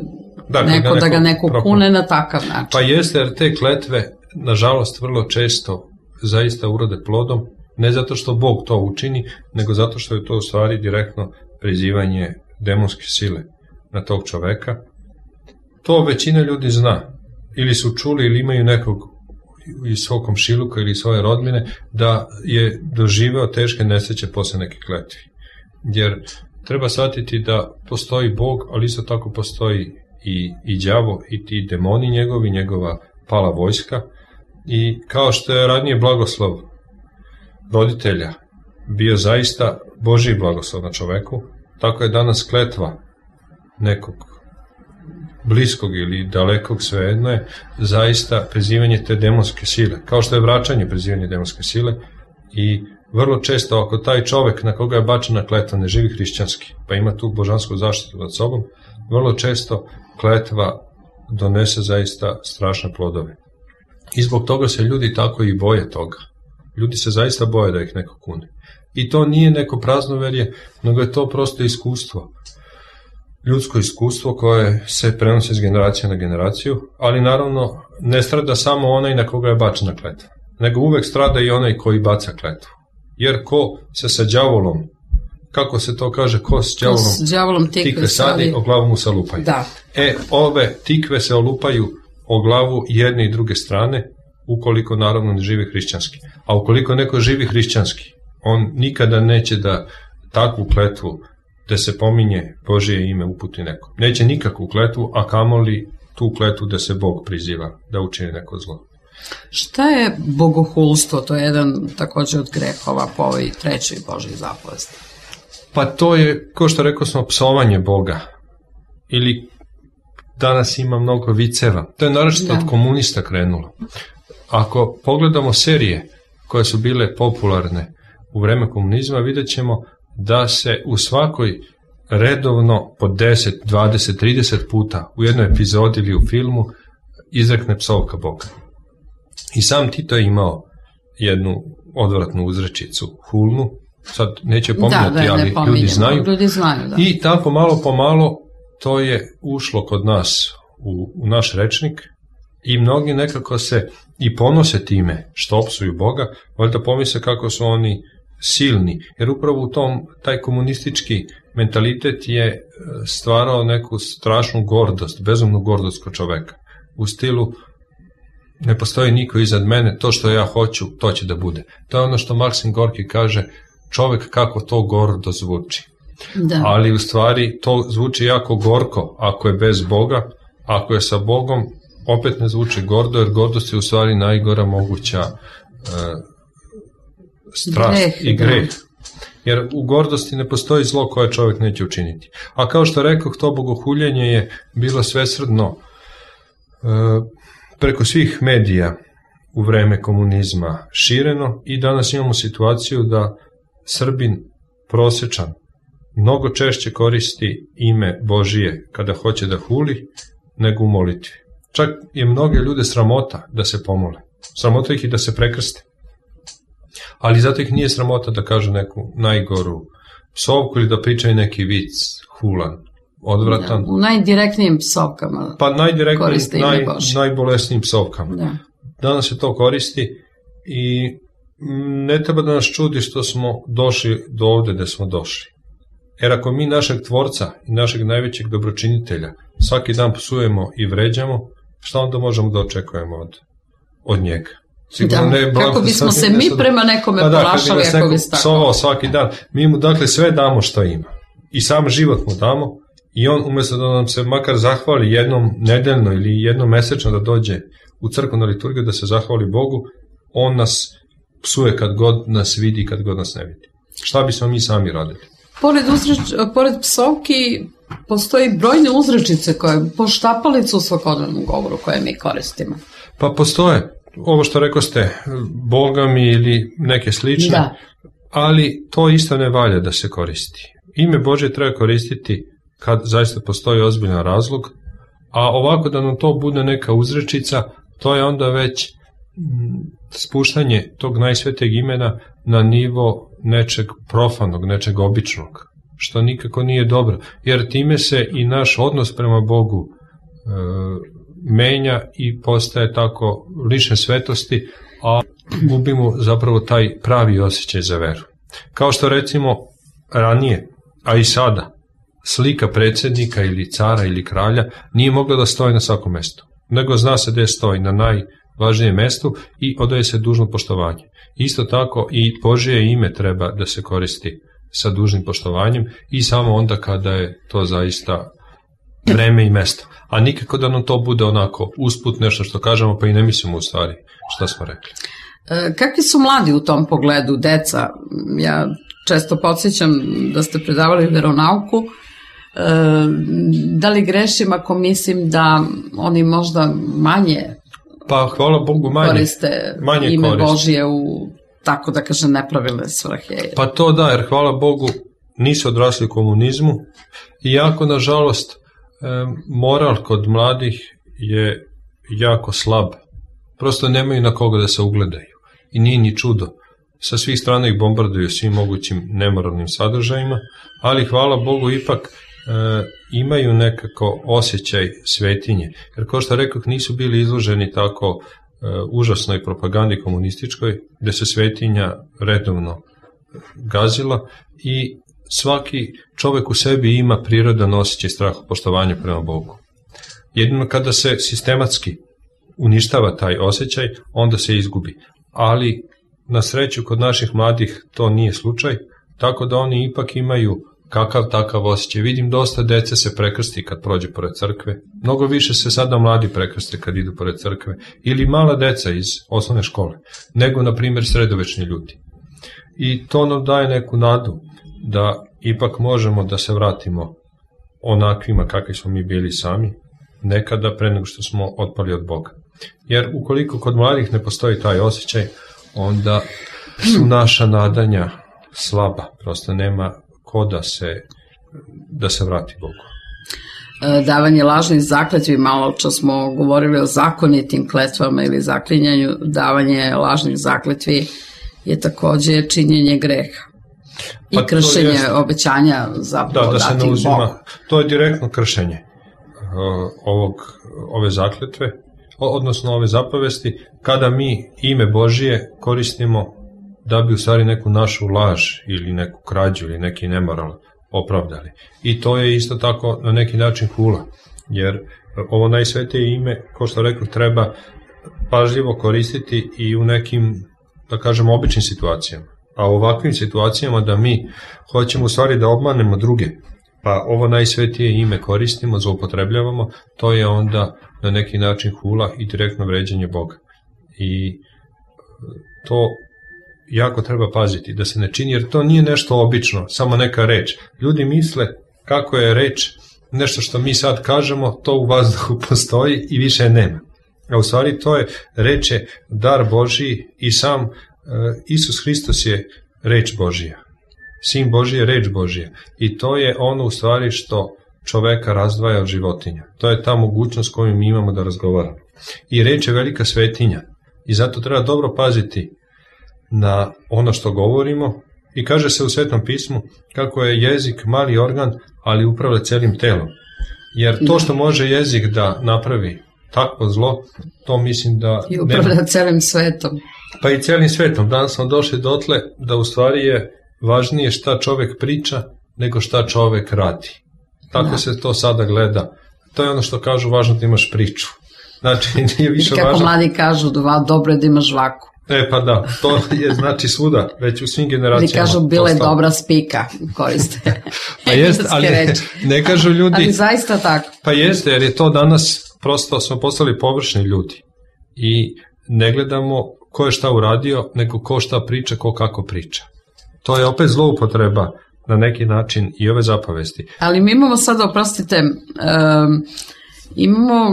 da ga neko kune na takav način. Pa jeste, jer te kletve, nažalost, vrlo često zaista urode plodom, ne zato što Bog to učini, nego zato što je to u stvari direktno prizivanje demonske sile na tog čoveka. To većina ljudi zna. Ili su čuli ili imaju nekog iz svog komšiluka ili svoje rodbine da je doživeo teške nesreće posle neke kletvi. Jer treba shvatiti da postoji Bog, ali isto tako postoji i đavo i ti demoni njegovi, njegova pala vojska. I kao što je ranije blagoslov roditelja bio zaista Božji blagoslov na čoveku, tako je danas kletva nekog bliskog ili dalekog, svejedno je, zaista prizivanje te demonske sile, kao što je vraćanje prizivanje demonske sile. I vrlo često ako taj čovek na koga je bačena kletva ne živi hrišćanski, pa ima tu božansku zaštitu nad sobom, vrlo često kletva donese zaista strašne plodove. I zbog toga se ljudi tako i boje toga. Ljudi se zaista boje da ih neko kune. I to nije neko praznoverje, nego je to prosto iskustvo. Ljudsko iskustvo koje se prenosi iz generacije na generaciju, ali naravno ne strada samo onaj na koga je bačena kletva, nego uvek strada i onaj koji baca kletvu. Jer ko se sa đavolom, kako se to kaže, ko s đavolom tikve sadi, o glavu mu se olupaju. Da. Ove tikve se olupaju o glavu jedne i druge strane, ukoliko naravno ne živi hrišćanski. A ukoliko neko živi hrišćanski, on nikada neće da takvu kletvu da se pominje Božije ime uputi nekom. Neće nikakvu kletvu, a kamoli tu kletvu da se Bog priziva, da učini neko zlo. Šta je bogohulstvo? To je jedan također od grehova po ovoj trećoj Božoj zapovesti. Pa to je, kao što rekao smo, psovanje Boga. Ili danas ima mnogo viceva. To je naročito od komunista krenulo. Ako pogledamo serije koje su bile popularne u vreme komunizma, vidjet ćemo da se u svakoj redovno po 10, 20, 30 puta u jednoj epizodi ili u filmu izrekne psovka Boga. I sam Tito je imao jednu odvratnu uzrečicu, hulnu, sad neće pominjati, ali ljudi znaju. I tako malo po malo to je ušlo kod nas u naš rečnik i mnogi nekako se i ponose time što opsuju Boga, valjda pomisle kako su oni silni, jer upravo u tom taj komunistički mentalitet je stvarao neku strašnu gordost, bezumnu gordost kod čoveka. U stilu ne postoji niko iznad mene, to što ja hoću, to će da bude. To je ono što Maksim Gorki kaže, čovek kako to gordo zvuči. Da. Ali u stvari to zvuči jako gorko ako je bez Boga, ako je sa Bogom opet ne zvuči gordo, jer gordost je u stvari najgora moguća strast i greh. Jer u gordosti ne postoji zlo koje čovjek neće učiniti. A kao što rekoh, to bogohuljenje je bilo svesrdno preko svih medija u vreme komunizma šireno i danas imamo situaciju da Srbin prosečan mnogo češće koristi ime Božije kada hoće da huli nego u molitvi. Čak je mnoge ljude sramota da se pomole. Sramota ih i da se prekrste. Ali zato ih nije sramota da kažu neku najgoru psovku ili da pričaju neki vic hulan, odvratan. Da, u najdirektnijim psovkama. Pa najdirektnijim, najbolesnijim psovkama. Da. Danas se to koristi i ne treba da nas čudi što smo došli do ovde gde smo došli. Jer ako mi našeg tvorca i našeg najvećeg dobročinitelja svaki dan psujemo i vređamo, šta onda možemo da očekujemo od njega? Da, kako bismo se mi prema nekome ponašali ako bi psovao svaki dan. Mi mu dakle sve damo što ima. I sam život mu damo i on umjesto da nam se makar zahvali jednom nedeljno ili jednom mesečno da dođe u crkvenu liturgiju da se zahvali Bogu, on nas psuje kad god nas vidi i kad god nas ne vidi. Šta bismo mi sami radili? Pored psovki postoji brojne uzrečice koje poštapalice u svakodnevnom govoru koje mi koristimo. Pa postoje. Ovo što rekao ste, Boga mi ili neke slične, da. Ali to isto ne valja da se koristi. Ime Božje treba koristiti kad zaista postoji ozbiljan razlog, a ovako da nam to bude neka uzrečica, to je onda već spuštanje tog najsvetijeg imena na nivo nečeg profanog, nečeg običnog, što nikako nije dobro, jer time se i naš odnos prema Bogu menja i postaje tako lične svetosti, a gubimo zapravo taj pravi osjećaj za veru. Kao što recimo ranije, a i sada, slika predsjednika ili cara ili kralja nije mogla da stoji na svakom mestu, nego zna se gde stoji, na najvažnijem mestu i odaje se dužno poštovanje. Isto tako i Božje ime treba da se koristi sa dužnim poštovanjem i samo onda kada je to zaista vreme i mesto. A nikako da nam to bude onako usput nešto što kažemo pa i ne mislimo u stvari šta smo rekli. Kakvi su mladi u tom pogledu, deca? Ja često podsjećam da ste predavali veronauku. Da li grešim ako mislim da oni možda manje pa hvala Bogu koriste ime Božije u, tako da kažem, nepravilne svrhe? Pa to da, jer hvala Bogu nisu odrasli u komunizmu, iako nažalost moral kod mladih je jako slab. Prosto nemaju na koga da se ugledaju. I nije ni čudo. Sa svih strana ih bombarduju svim mogućim nemoralnim sadržajima, ali hvala Bogu ipak imaju nekako osjećaj svetinje. Jer kao što rekoh, nisu bili izloženi tako užasnoj propagandi komunističkoj, gde se svetinja redovno gazila i svaki čovek u sebi ima prirodan osjećaj strahopoštovanja prema Bogu. Jedino kada se sistematski uništava taj osjećaj, onda se izgubi. Ali na sreću kod naših mladih to nije slučaj, tako da oni ipak imaju kakav takav osjećaj. Vidim dosta dece se prekrsti kad prođe pored crkve, mnogo više se sada mladi prekrste kad idu pored crkve, ili mala deca iz osnovne škole, nego na primjer sredovečni ljudi. I to nam daje neku nadu da ipak možemo da se vratimo onakvima kakvi smo mi bili sami, nekada pre nego što smo otpali od Boga. Jer ukoliko kod mladih ne postoji taj osjećaj, onda su naša nadanja slaba, prosto nema ko da se vrati Bogu. Davanje lažnih zakletvi, malo čas smo govorili o zakonitim kletvama ili zaklinjanju, davanje lažnih zakletvi je takođe činjenje greha i kršenje obećanja zapravo dati Bogu. To je direktno kršenje ove zakletve, odnosno ove zapovesti, kada mi ime Božije koristimo da bi u stvari neku našu laž ili neku krađu ili neki nemoral opravdali. I to je isto tako na neki način hula, jer ovo najsvetije ime, kao što rekao, treba pažljivo koristiti i u nekim, da kažemo, običnim situacijama. A u ovakvim situacijama da mi hoćemo u stvari da obmanemo druge, pa ovo najsvetije ime koristimo, zloupotrebljavamo, to je onda na neki način hula i direktno vređanje Boga. I to jako treba paziti, da se ne čini, jer to nije nešto obično, samo neka reč. Ljudi misle kako je reč nešto što mi sad kažemo, to u vazduhu postoji i više nema. A u stvari to je reč je dar Božiji i sam Isus Hristos je reč Božija. Sin Božiji je reč Božija. I to je ono u stvari što čoveka razdvaja od životinja. To je ta mogućnost koju mi imamo da razgovaramo. I reč je velika svetinja. I zato treba dobro paziti na ono što govorimo. I kaže se u Svetom pismu kako je jezik mali organ, ali upravlja celim telom. Jer to što može jezik da napravi takvo zlo, to mislim da... I upravlja celim svetom. Pa i celim svetom. Danas smo došli dotle da u stvari je važnije šta čovek priča nego šta čovek radi. Tako se to sada gleda. To je ono što kažu, važno da imaš priču. Znači, nije više važno... I kako mladi kažu, dobro je da imaš žvaku. Pa da, to je znači svuda, već u svim generacijama. Ili kažu, bila je dobra spika, koriste. Pa jeste, ali ne kažu ljudi... Ali zaista tako. Pa jeste, jer je to danas, prosto smo postali površni ljudi. I ne gledamo ko je šta uradio, nego ko šta priča, ko kako priča. To je opet zloupotreba na neki način i ove zapovesti. Ali mi imamo sada, oprostite, imamo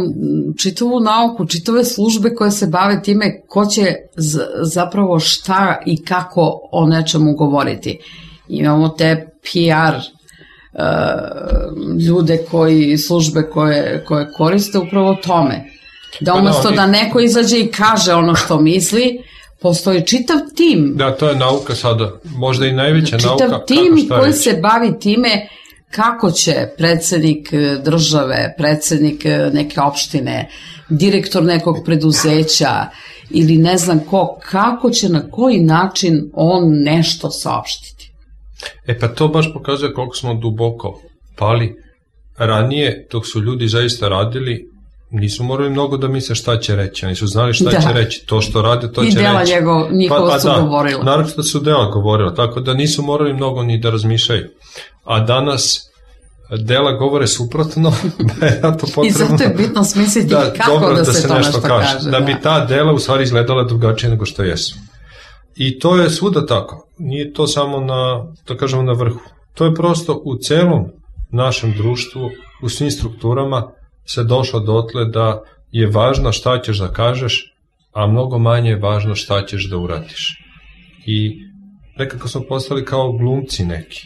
čitavu nauku, čitave službe koje se bave time ko će zapravo šta i kako o nečemu govoriti. Imamo te PR ljude službe koje koriste upravo tome. Da umesto da neko izađe i kaže ono što misli, postoji čitav tim. Da, to je nauka sada, možda i najveća nauka. Čitav tim koji se bavi time kako će predsednik države, predsednik neke opštine, direktor nekog preduzeća ili ne znam ko, kako će, na koji način on nešto saopštiti. Pa to baš pokazuje koliko smo duboko pali. Ranije, dok su ljudi zaista radili, nisu morali mnogo da misle šta će reći, oni su znali šta će reći, to što rade, to će reći. I dela njihova su govorila. Naravno da su dela govorila, tako da nisu morali mnogo ni da razmišljaju. A danas dela govore suprotno, I zato je bitno smisliti kako da se to nešto kaže. Da bi ta dela u stvari izgledala drugačije nego što jesu. I to je svuda tako. Nije to samo na vrhu. To je prosto u celom našem društvu, u svim strukturama se došlo dotle da je važno šta ćeš da kažeš, a mnogo manje je važno šta ćeš da uradiš. I nekako smo postali kao glumci neki.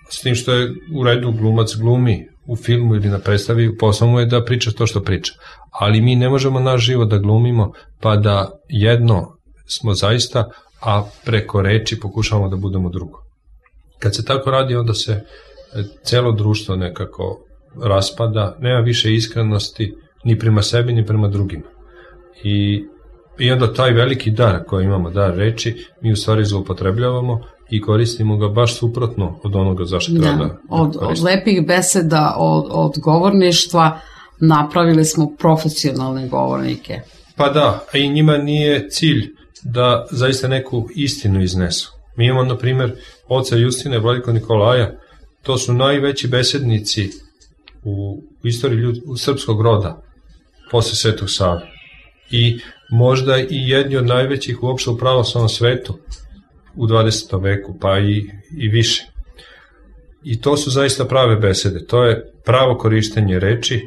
S tim što je u redu glumac glumi u filmu ili na predstavi, posao mu je da priča to što priča. Ali mi ne možemo naš život da glumimo, pa da jedno smo zaista, a preko reči pokušavamo da budemo drugo. Kad se tako radi, onda se celo društvo nekako raspada, nema više iskrenosti ni prema sebi, ni prema drugima. I onda taj veliki dar koji imamo, dar reči, mi u stvari zloupotrebljavamo i koristimo ga baš suprotno od onoga zašto treba da koristimo. Od lepih beseda, od govorništva napravili smo profesionalne govornike. Pa da, a i njima nije cilj da zaista neku istinu iznesu. Mi imamo, na primjer, oca Justina i vladiku Nikolaja, to su najveći besednici u istoriji srpskog roda posle Svetog Save. I možda i jedni od najvećih uopšte u pravoslavnom svetu u 20. veku, pa i više. I to su zaista prave besede. To je pravo korištenje reči,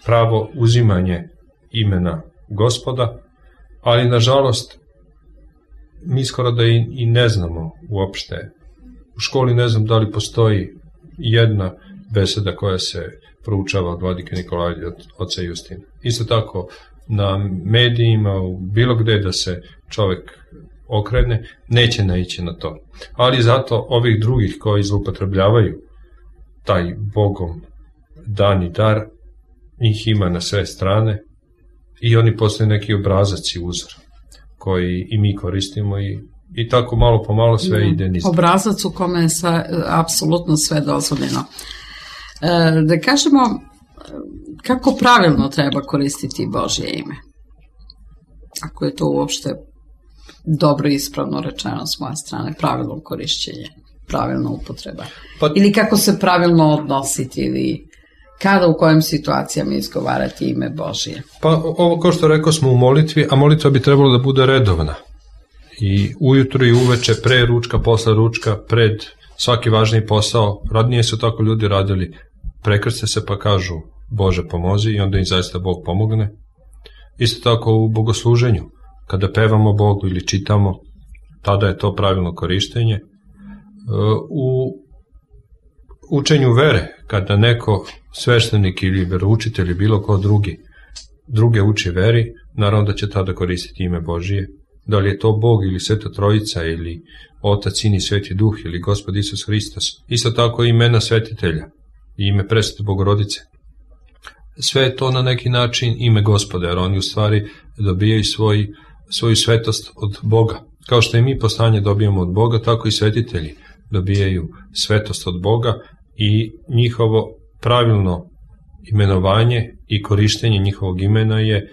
pravo uzimanje imena Gospoda, ali nažalost mi skoro da i ne znamo uopšte U školi ne znam da li postoji jedna beseda koja se proučava od vladike Nikolaja i od oca Justina. Isto tako na medijima, u bilo gde da se čovek okrene, neće naići na to. Ali zato ovih drugih koji zloupotrebljavaju taj Bogom dani dar, njih ima na sve strane i oni postaju neki obrazac i uzor koji i mi koristimo i tako malo po malo sve ide niz. Obrazac u kome je apsolutno sve dozvoljeno. Da kažemo, kako pravilno treba koristiti Božje ime? Ako je to uopšte dobro i ispravno rečeno s moje strane, pravilno korišćenje, pravilna upotreba. Ili kako se pravilno odnositi, ili kada, u kojim situacijama izgovarati ime Božje? Pa ovo, kao što rekao smo, u molitvi, a molitva bi trebalo da bude redovna. I ujutro i uveče, pre ručka, posle ručka, pred svaki važniji posao. Radnije su tako ljudi radili. Prekrste se pa kažu Bože pomozi i onda im zaista Bog pomogne. Isto tako u bogosluženju. Kada pevamo Bogu ili čitamo, tada je to pravilno korištenje. U učenju vere, kada neko sveštenik ili veroučitelj ili bilo ko druge uči veri, naravno da će tada koristiti ime Božije. Da li je to Bog ili Sveta Trojica ili Otac, Sin i Sveti Duh ili Gospod Isus Hristos. Isto tako imena svetitelja i ime Presvete Bogorodice. Sve je to na neki način ime Gospoda, jer oni u stvari dobijaju svoju svetost od Boga. Kao što i mi postanje dobijamo od Boga, tako i svetitelji dobijaju svetost od Boga i njihovo pravilno imenovanje i korištenje njihovog imena je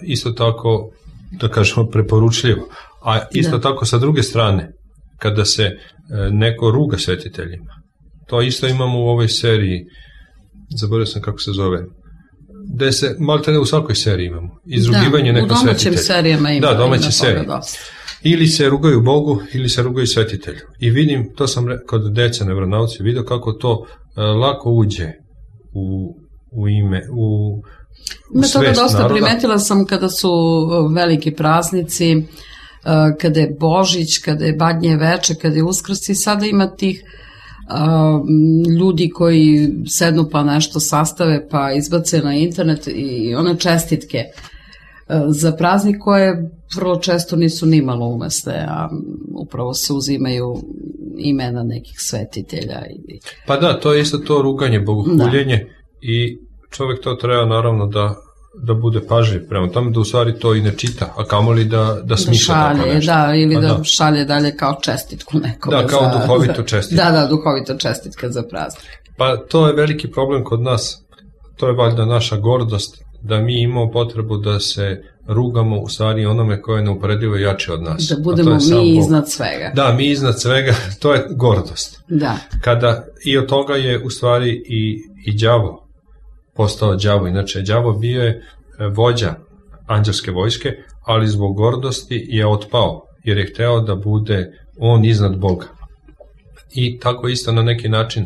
isto tako, da kažemo, preporučljivo. A isto tako sa druge strane, kada se neko ruga svetiteljima, to isto imamo u ovoj seriji, zaboravio sam kako se zove, gde se, malte ne u svakoj seriji imamo, izrugivanje neko svetitelja. Da, u domaćim serijama ima. Da, domaće serije. Ili se rugaju Bogu, ili se rugaju svetitelju. I vidim, to sam kod dece na vjeronauci vidio kako to lako uđe u ime, u svest naroda. To dosta primetila sam kada su veliki praznici, kada je Božić, kada je Badnje veče, kada je Uskrs, i sada ima tih ljudi koji sednu pa nešto sastave pa izbace na internet i one čestitke za praznik koje vrlo često nisu nimalo umesne, a upravo se uzimaju imena nekih svetitelja. Pa da, to je isto to ruganje, bogohuljenje, i čovjek to treba naravno da bude pažljiv prema tome, da u stvari to i ne čita, a kamoli da smišlja tako nešto. Da, ili da šalje dalje kao čestitku nekome. Da, kao duhovitu čestitku. Da, duhovita čestitka za praznik. Pa to je veliki problem kod nas, to je valjda naša gordost, da mi imamo potrebu da se rugamo u stvari onome koje je neuporedivo jače od nas. Da budemo mi iznad svega. Da, mi iznad svega, to je gordost. Da. Kada i od toga je u stvari i đavo postao đavo. Inače, đavo bio je vođa anđelske vojske, ali zbog gordosti je otpao, jer je hteo da bude on iznad Boga. I tako isto na neki način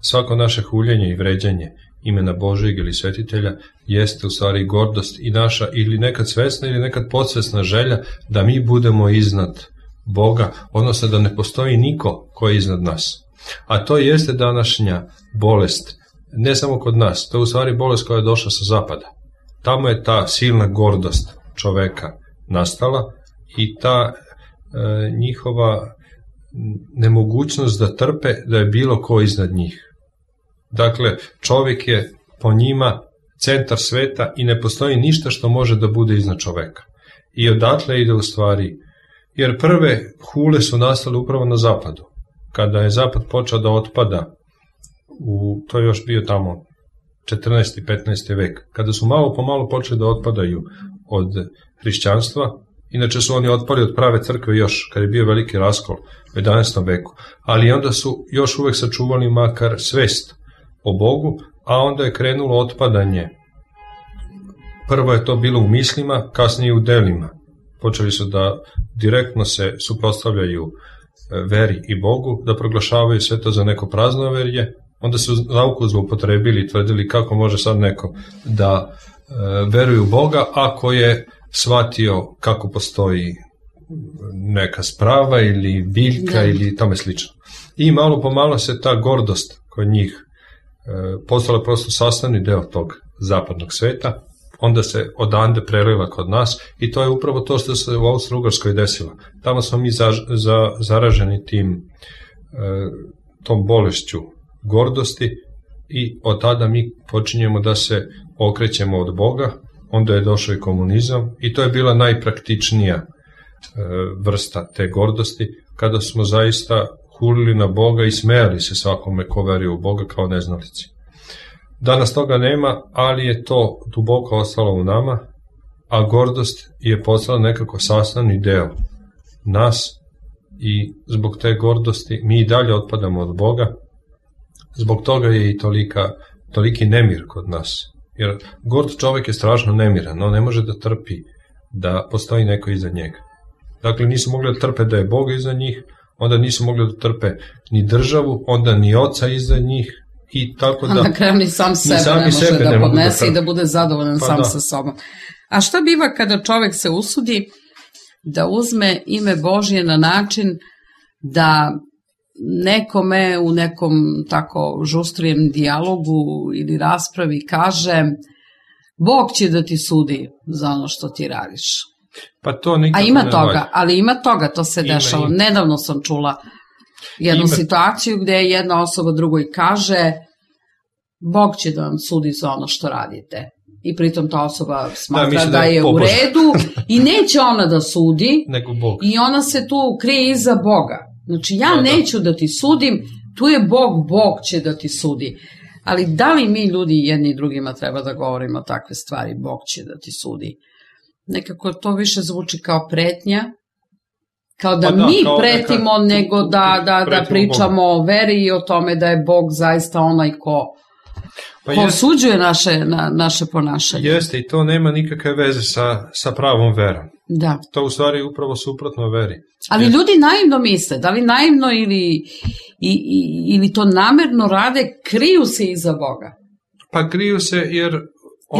svako naše huljenje i vređanje imena Božijeg ili svetitelja jeste u stvari gordost i naša ili nekad svesna ili nekad podsvesna želja da mi budemo iznad Boga, odnosno da ne postoji niko ko je iznad nas. A to jeste današnja bolest, ne samo kod nas, to je u stvari bolest koja je došla sa zapada. Tamo je ta silna gordost čoveka nastala i ta njihova nemogućnost da trpe da je bilo ko iznad njih. Dakle, čovjek je po njima centar sveta i ne postoji ništa što može da bude iznad čoveka. I odatle ide u stvari, jer prve hule su nastale upravo na zapadu. Kada je zapad počeo da otpada, to je još bio tamo 14. i 15. vek, kada su malo po malo počeli da otpadaju od hrišćanstva, inače su oni otpali od prave crkve još, kad je bio veliki raskol u 11. veku, ali onda su još uvek sačuvali makar svest o Bogu, a onda je krenulo otpadanje. Prvo je to bilo u mislima, kasnije u delima. Počeli su da direktno se suprotstavljaju veri i Bogu, da proglašavaju sve to za neko praznoverje, onda su nauku zloupotrebili i tvrdili kako može sad neko da veruje u Boga ako je shvatio kako postoji neka sprava ili biljka ili tome slično. I malo po malo se ta gordost kod njih postala prosto sastavni deo tog zapadnog sveta, onda se odande prelila kod nas i to je upravo to što se u Austro-Ugarskoj desilo. Tamo smo mi zaraženi tom bolešću gordosti i od tada mi počinjemo da se okrećemo od Boga, onda je došao i komunizam i to je bila najpraktičnija vrsta te gordosti, kada smo zaista hulili na Boga i smejali se svakome ko veruje u Boga kao neznalici. Danas toga nema, ali je to duboko ostalo u nama, a gordost je postala nekako sastavni deo nas i zbog te gordosti mi i dalje otpadamo od Boga. Zbog toga je i toliki nemir kod nas. Jer gord čovjek je strašno nemiran, on ne može da trpi da postoji neko iza njega. Dakle, nisu mogli da trpe da je Bog iza njih, onda nisu mogli da trpe ni državu, onda ni oca iza njih i tako da... A na kraju ni sam sebe ne može da podnese i da bude zadovoljan sam sa sobom. A šta biva kada čovjek se usudi da uzme ime Božje na način da nekome u nekom tako žustrijem dijalogu ili raspravi kaže Bog će da ti sudi za ono što ti radiš. Pa to nikako a ima toga, ali ima toga, to se dešava. Nedavno sam čula jednu situaciju gde jedna osoba drugoj kaže Bog će da vam sudi za ono što radite. I pritom ta osoba smatra da je u redu i neće ona da sudi i ona se tu krije iza Boga. Znači ja neću da ti sudim, tu je Bog, Bog će da ti sudi. Ali da li mi ljudi jedni i drugima treba da govorimo takve stvari, Bog će da ti sudi? Nekako to više zvuči kao pretnja, kao da mi pretimo nego da pričamo o veri i o tome da je Bog zaista onaj ko osuđuje naše ponašanje. Jeste, i to nema nikakve veze sa pravom verom. Da. To u stvari je upravo suprotno veri. Ali ljudi naivno misle, da li naivno ili to namerno rade, kriju se iza Boga. Pa kriju se jer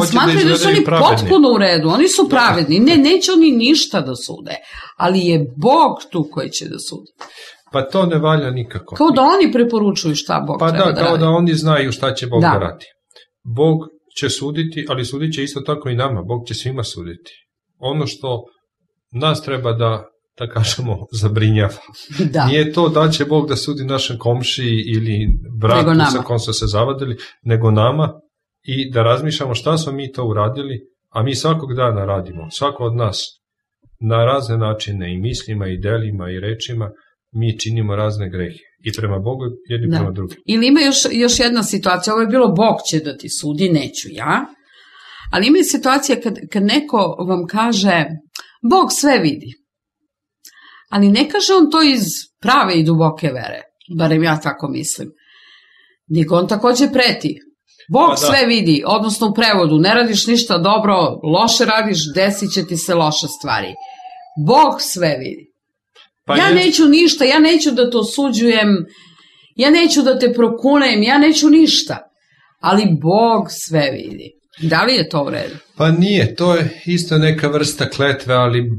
i smatraju da su oni potpuno u redu, oni su pravedni, neće oni ništa da sude, ali je Bog tu koji će da sudi. Pa to ne valja nikako. Kao da oni preporučuju šta Bog treba da radi. Pa da, kao da oni znaju šta će Bog da radi. Bog će suditi, ali sudit će isto tako i nama. Bog će svima suditi. Ono što nas treba da kažemo zabrinjava. Da. Nije to da će Bog da sudi našem komšiji ili bratu sa kom su se zavadili, nego nama i da razmišljamo šta smo mi to uradili, a mi svakog dana radimo. Svako od nas na razne načine i mislima i delima i rečima mi činimo razne grehe. I prema Bogu, jedni prema drugim. Ili ima još jedna situacija, ovo je bilo Bog će da ti sudi, neću ja. Ali ima i situacija kad neko vam kaže, Bog sve vidi. Ali ne kaže on to iz prave i duboke vere, barem ja tako mislim. Nego on takođe preti. Bog sve vidi, odnosno u prevodu, ne radiš ništa dobro, loše radiš, desit će ti se loše stvari. Bog sve vidi. Ja neću ništa, ja neću da te osuđujem, ja neću da te prokunem, ja neću ništa. Ali Bog sve vidi. Da li je to u redu? Pa nije, to je isto neka vrsta kletve, ali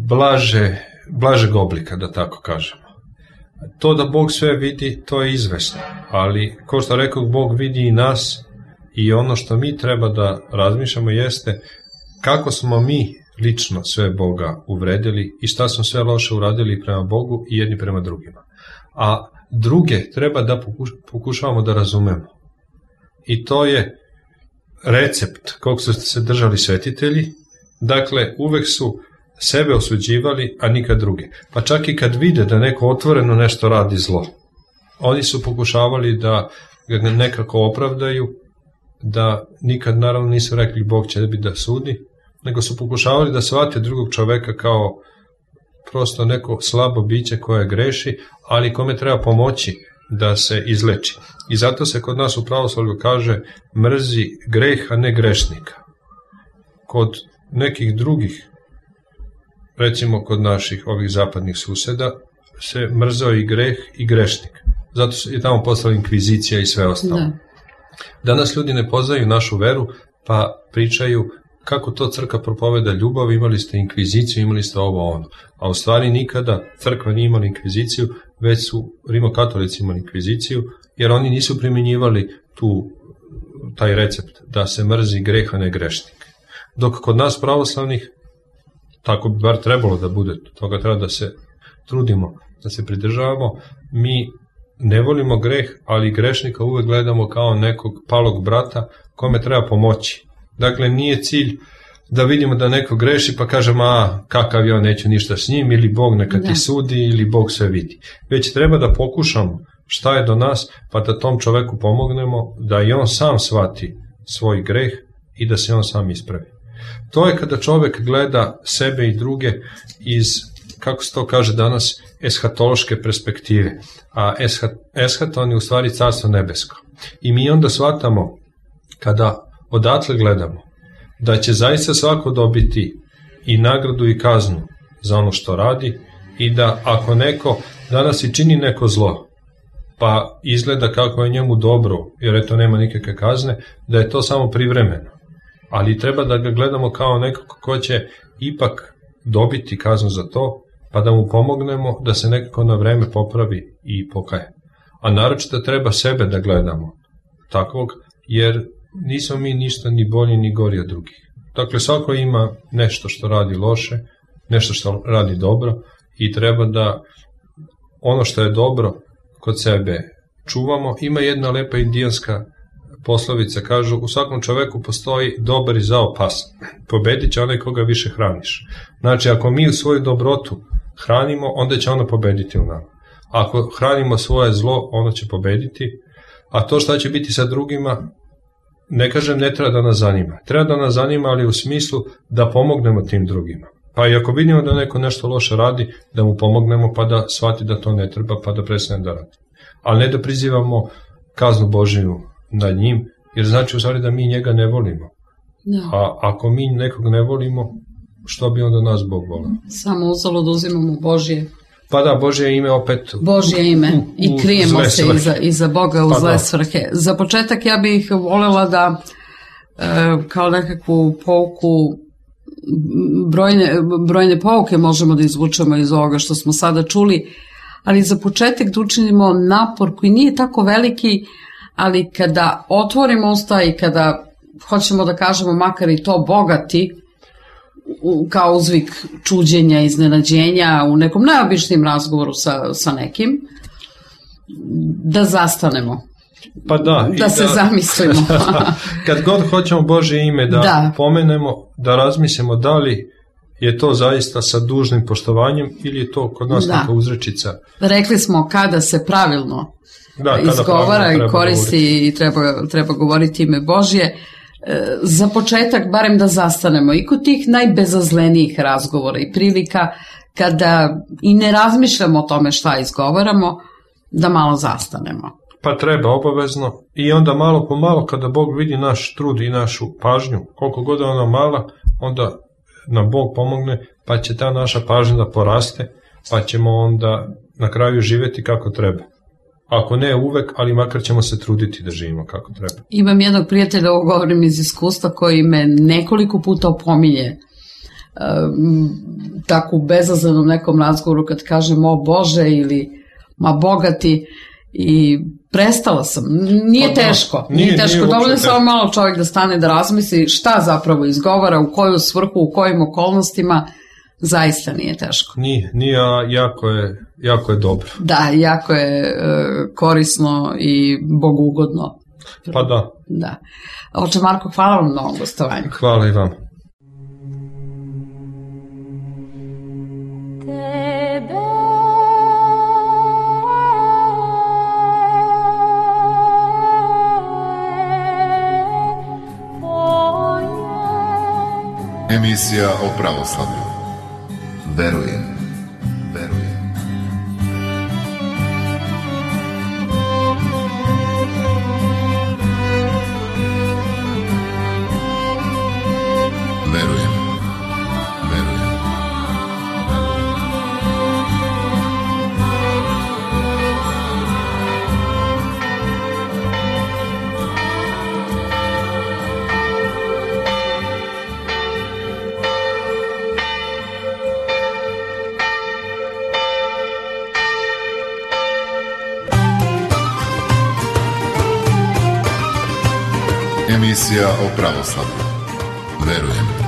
blažeg oblika, da tako kažemo. To da Bog sve vidi, to je izvesno. Ali, kao što rekao, Bog vidi i nas i ono što mi treba da razmišljamo jeste kako smo mi lično sve Boga uvredili i šta smo sve loše uradili prema Bogu i jedni prema drugima. A druge treba da pokušavamo da razumemo. I to je recept kog su se držali svetitelji. Dakle, uvek su sebe osuđivali, a nikad druge. Pa čak i kad vide da neko otvoreno nešto radi zlo, oni su pokušavali da ga nekako opravdaju, da nikad naravno nisu rekli Bog će da sudi, nego su pokušavali da shvate drugog čoveka kao prosto neko slabo biće koje greši, ali kome treba pomoći da se izleči. I zato se kod nas u pravoslavlju kaže mrzi greh, a ne grešnika. Kod nekih drugih, recimo kod naših ovih zapadnih suseda, se mrzao i greh i grešnik. Zato je tamo postala inkvizicija i sve ostalo. Danas ljudi ne poznaju našu veru, pa pričaju kako to crkva propoveda ljubav, imali ste inkviziciju, imali ste ovo ono. A u stvari nikada crkva nije imala inkviziciju, već su rimokatolici imali inkviziciju, jer oni nisu primjenjivali taj recept da se mrzi greh, a ne grešnik. Dok kod nas pravoslavnih, tako bi bar trebalo da bude, toga treba da se trudimo, da se pridržavamo, mi ne volimo greh, ali grešnika uvek gledamo kao nekog palog brata kome treba pomoći. Dakle, nije cilj da vidimo da neko greši pa kažemo, kakav ja, neću ništa s njim, ili Bog neka ti sudi, ili Bog sve vidi. Već treba da pokušamo šta je do nas, pa da tom čoveku pomognemo, da i on sam shvati svoj greh i da se on sam ispravi. To je kada čovek gleda sebe i druge iz, kako se to kaže danas, eshatološke perspektive. A eshaton je u stvari carstvo nebesko. I mi onda shvatamo, kada odatle gledamo, da će zaista svako dobiti i nagradu i kaznu za ono što radi, i da ako neko danas i čini neko zlo, pa izgleda kako je njemu dobro, jer eto nema nikakve kazne, da je to samo privremeno. Ali treba da ga gledamo kao nekog ko će ipak dobiti kaznu za to, pa da mu pomognemo da se nekako na vreme popravi i pokaje. A naročito treba sebe da gledamo takvog, jer nismo mi ništa ni bolji ni gori od drugih. Dakle, svako ima nešto što radi loše, nešto što radi dobro, i treba da ono što je dobro kod sebe čuvamo. Ima jedna lepa indijanska poslovica, kažu, u svakom čoveku postoji dobar i zao pas. Pobedit će onaj koga više hraniš. Znači, ako mi svoju dobrotu hranimo, onda će ono pobediti u nama. Ako hranimo svoje zlo, ono će pobediti. A to šta će biti sa drugima, ne kažem ne treba da nas zanima. Treba da nas zanima, ali u smislu da pomognemo tim drugima. Pa i ako vidimo da neko nešto loše radi, da mu pomognemo pa da shvati da to ne treba, pa da prestane da radi. Ali ne da prizivamo kaznu Božiju nad njim, jer znači u stvari da mi njega ne volimo. A ako mi nekog ne volimo, što bi onda nas Bog volao? Samo uzalud uzimamo Božje. Pa da, Božje ime opet. Božje ime i krijemo se iza Boga u zle svrhe. Za početak ja bih voljela da kao nekakvu pouku, brojne pouke možemo da izvučemo iz ovoga što smo sada čuli, ali za početak da učinimo napor koji nije tako veliki, ali kada otvorimo usta i kada hoćemo da kažemo makar i to bogati, kao uzvik čuđenja, iznenađenja u nekom najobičnijem razgovoru sa nekim, da zastanemo. Pa da se zamislimo. Kad god hoćemo Božje ime da pomenemo, da razmislimo da li je to zaista sa dužnim poštovanjem ili je to kod nas neka uzrečica. Rekli smo kada se pravilno izgovara i koristi i treba govoriti ime Božje. Za početak barem da zastanemo i kod tih najbezazlenijih razgovora i prilika kada i ne razmišljamo o tome šta izgovaramo, da malo zastanemo. Pa treba obavezno, i onda malo po malo kada Bog vidi naš trud i našu pažnju, koliko god je ona mala, onda nam Bog pomogne, pa će ta naša pažnja da poraste, pa ćemo onda na kraju živjeti kako treba. Ako ne uvek, ali makar ćemo se truditi da živimo kako treba. Imam jednog prijatelja, ovo govorim iz iskustva, koji me nekoliko puta opominje tako u bezazlenom nekom razgovoru kad kažem o Bože ili ma bogati, i prestala sam. Nije teško. Dovoljno samo malo čovjek da stane da razmisli šta zapravo izgovara, u koju svrhu, u kojim okolnostima. Zaista nije teško. Nije, jako je dobro. Da, jako je korisno i bogugodno. Pa da. Da. Oče Marko, hvala vam na ovom gostovanju. Hvala i vam. Emisija o pravoslavlju. Verujem. Emisija o pravoslavlju. Verujem.